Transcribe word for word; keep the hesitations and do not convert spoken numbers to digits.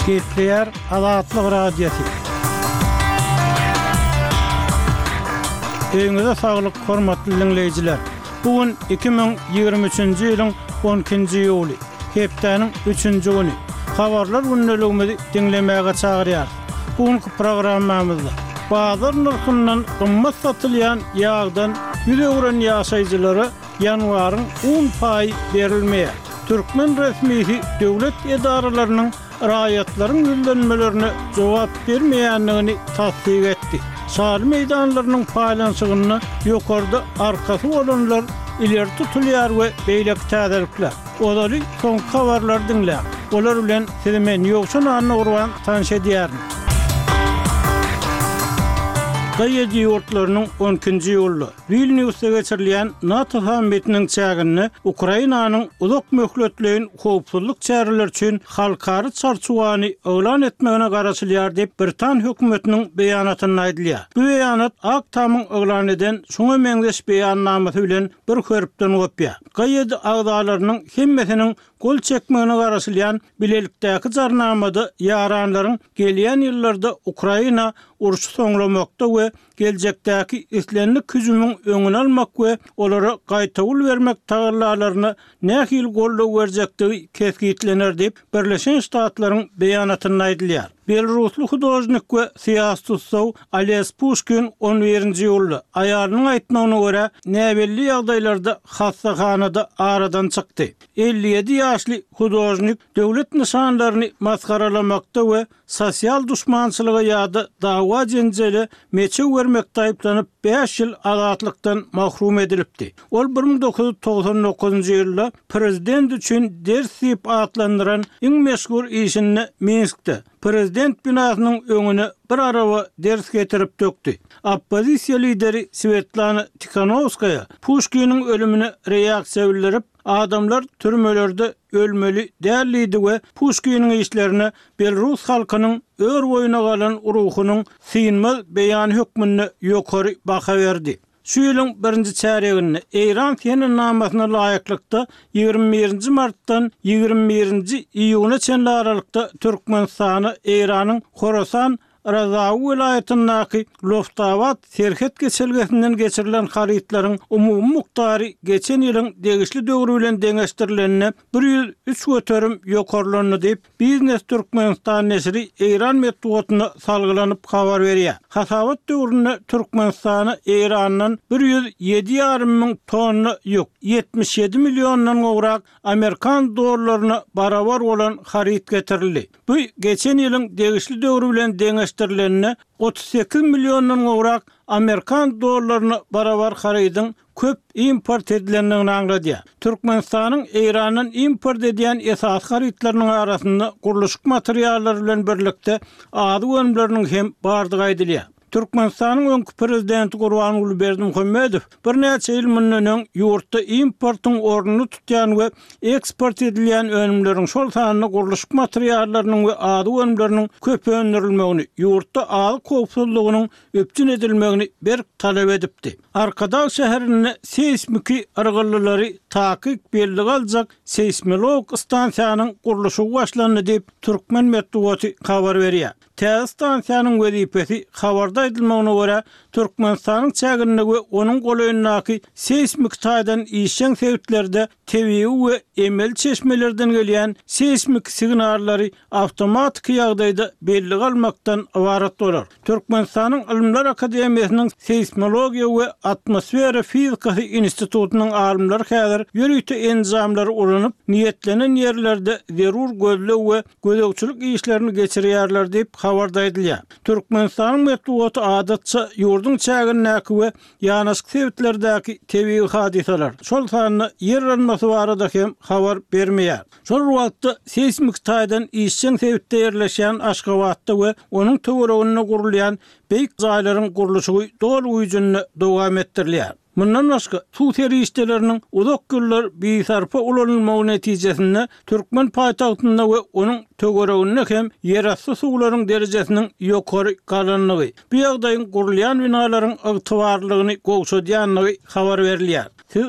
Gepleýär Azatlyk Radiosy. Öýüňize saglyk, hormatly diňleýjiler! Bu gün iki müň ýigrimi üçünji ýylyň on ikinji iýuly, hepdäniň üçünji güni. Habarlar gündeligimizi diňlemäge çagyrýarys. Bu günki programmamyzda bazar nyrhyndan gymmat satylýan ýagdan ýüz öwren ýaşaýjylara ýanwaryň un paýy berilmeýär. Türkmen resmisi döwlet edaralarynyň raýatlaryň ýüzlenmelerine jogap bermeýändigini tassyk etdi. Şaly meýdanlarynyň paýlanyşygynda ýokarda arkasy bolanlar ileri tutulýar we beýleki täzelikler. Ozaly soňky habarlary diňläň. Olar bilen sizi men Ýowşan Annagurban tanyş edýärin. G ýedi ýurtlarynyň on ikinji iýulda Wilniusda geçirilýän NATO sammitiniň çäginde Ukrainanyň uzak möhletleýin howpsuzlyk çäreleri üçin halkara çarçuwany yglan etmegine garaşylýar diýip, Britan hökümetiniň beýanatynda aýdylýar. Bu beýanat Ak Tamyň yglan eden şuňa meňzeş beýannamasy bilen bir hörpden gopýar. G ýedi agzalarynyň hemmesiniň gol çekmegine garaşylýan bilelikdäki jarnamada ýaranlaryň gelýän ýyllarda Ukraina urşy soňlamakda we geljekdäki islendik hüjümiň öňüni almak we olara gaýtawul bermek tagallalaryna nähili goldaw berjekdigi kesgitlener diýip, Birleşen Ştatlaryň beýanatynda aýdylýar. Belarusly hudožnik we syýasy tutsaw Oles Puşkin on birinji iýulda aýalynyň aýtmagyna görä näbelli ýagdaýlarda hassahanada aradan çykdy. Elli ýedi ýaşly hudožnik döwlet nyşanlaryny masgaralamakda we sosial duşmançylyga ýa-da dawa jenjele meçew bermekde aýyplanyp bäş ýyl azatlykdan mahrum edilipdi. Ol bir müň dokuz ýüz togsan dokuzynjy ýylda prezident üçin ders diýip atlandyran iň meşhur işinde Minskde prezident binasynyň öňüne bir araba ders getirip dökdi. Oppozisiýa lideri Svetlana Tikhanovskaya Puşkiniň ölümine reaksiýa bildirip, adamlar türmelerde ölmeli däl diýdi we Puşkiniň işlerine Belarus halkynyň ör boýuna galan ruhunyň synmaz beýany hökmünde ýokary baha berdi. Şu ýylyň birinji çärýeginde Eýran senenamasyna laýyklykda ýigrimi birinji martdan ýigrimi birinji iýuna çenli aralykda Türkmenistana Eýranyň Horasan Razawy welaýatyndaky Loftabat serhet geçelgesinden geçirilen harytlaryň umumy mukdary geçen ýylyň degişli döwri bilen deňeşdirilende bir ýüz üç göterim ýokarlandy diýip, Biznes Türkmenistan neşiri Eýran metbugatyna salgylanyp habar berýär. Hasabat döwründe Türkmenistana Eýrandan bir ýüz ýedi ýarym müň tonna ýük, ýetmiş ýedi milliondan gowrak Amerikan dollaryna barabar bolan haryt getirildi. Bu geçen ýylyň degişli döwri bilen deňeşdirilende otuz sekiz milliondan gowrak Amerikan dollaryna barabar harydyň köp import edilendigini aňladýar. Türkmenistanyň Eýrandan import edýän esasy harytlarynyň arasynda gurluşyk materiallary bilen birlikde azyk önümleriniň hem bardygy aýdylýar. Türkmenistanyň öňki prezidenti Gurbanguly Berdimuhamedow birnäçe ýyl mundan öň ýurtda importyň ornuny tutýan we eksport edilýän önümleriň, şol sanda gurluşyk materiallarynyň we azyk önümleriniň köp öndürilmegini, ýurtda azyk howpsuzlygynyň üpjün edilmegini berk talap edipdi. Arkadag şäherinde seýsmiki yrgyllylary takyk belli galjak seýsmolog stansiýanyň gurluşygy başlandy diýip, türkmen metbugaty habar berýär. Täze stansiýanyň wezipesi habarda aýdylmagyna görä, Türkmenistanyň çäginde we onuň golaýyndaky seýsmik taýdan işjeň sebitlerde tebigy we emeli çeşmelerden gelýän seýsmik signallary awtomatiki ýagdaýda belli galmakdan ybarat bolar. Türkmenistanyň Ylymlar Akademiýasynyň Seýsmologiýa we atmosfera fizikasy institutynyň alymlary häzir ýörite enjamlary ulanyp, niýetlenen ýerlerde zerur gözleg we gözegçilik işlerini geçirýärler diýip habarda aýdylýar. Türkmenistanyň metbugaty adatça ýurduň çägindäki we ýanaşyk sebitlerdäki tebigy hadysalar, şol sanda ýer yrmasy barada hem habar bermeýär. Şol wagtda seýsmik taýdan işjeň sebitde ýerleşýän Aşgabatda we onuň töwereginde gurulýan beýik jaýlaryň gurluşygy doly güýjünde dowam etdirilýär. Mundan başga suw serişdeleriniň uzak ýyllar bisarpa ulanylmagy netijesinde türkmen paýtagtynda we onuň töwereginde hem ýerasty suwlaryň derejesiniň ýokary galandygy, bu ýagdaýyň gurulýan binalaryň ygtybarlygyny gowşadýandygy habar berilýär. Siz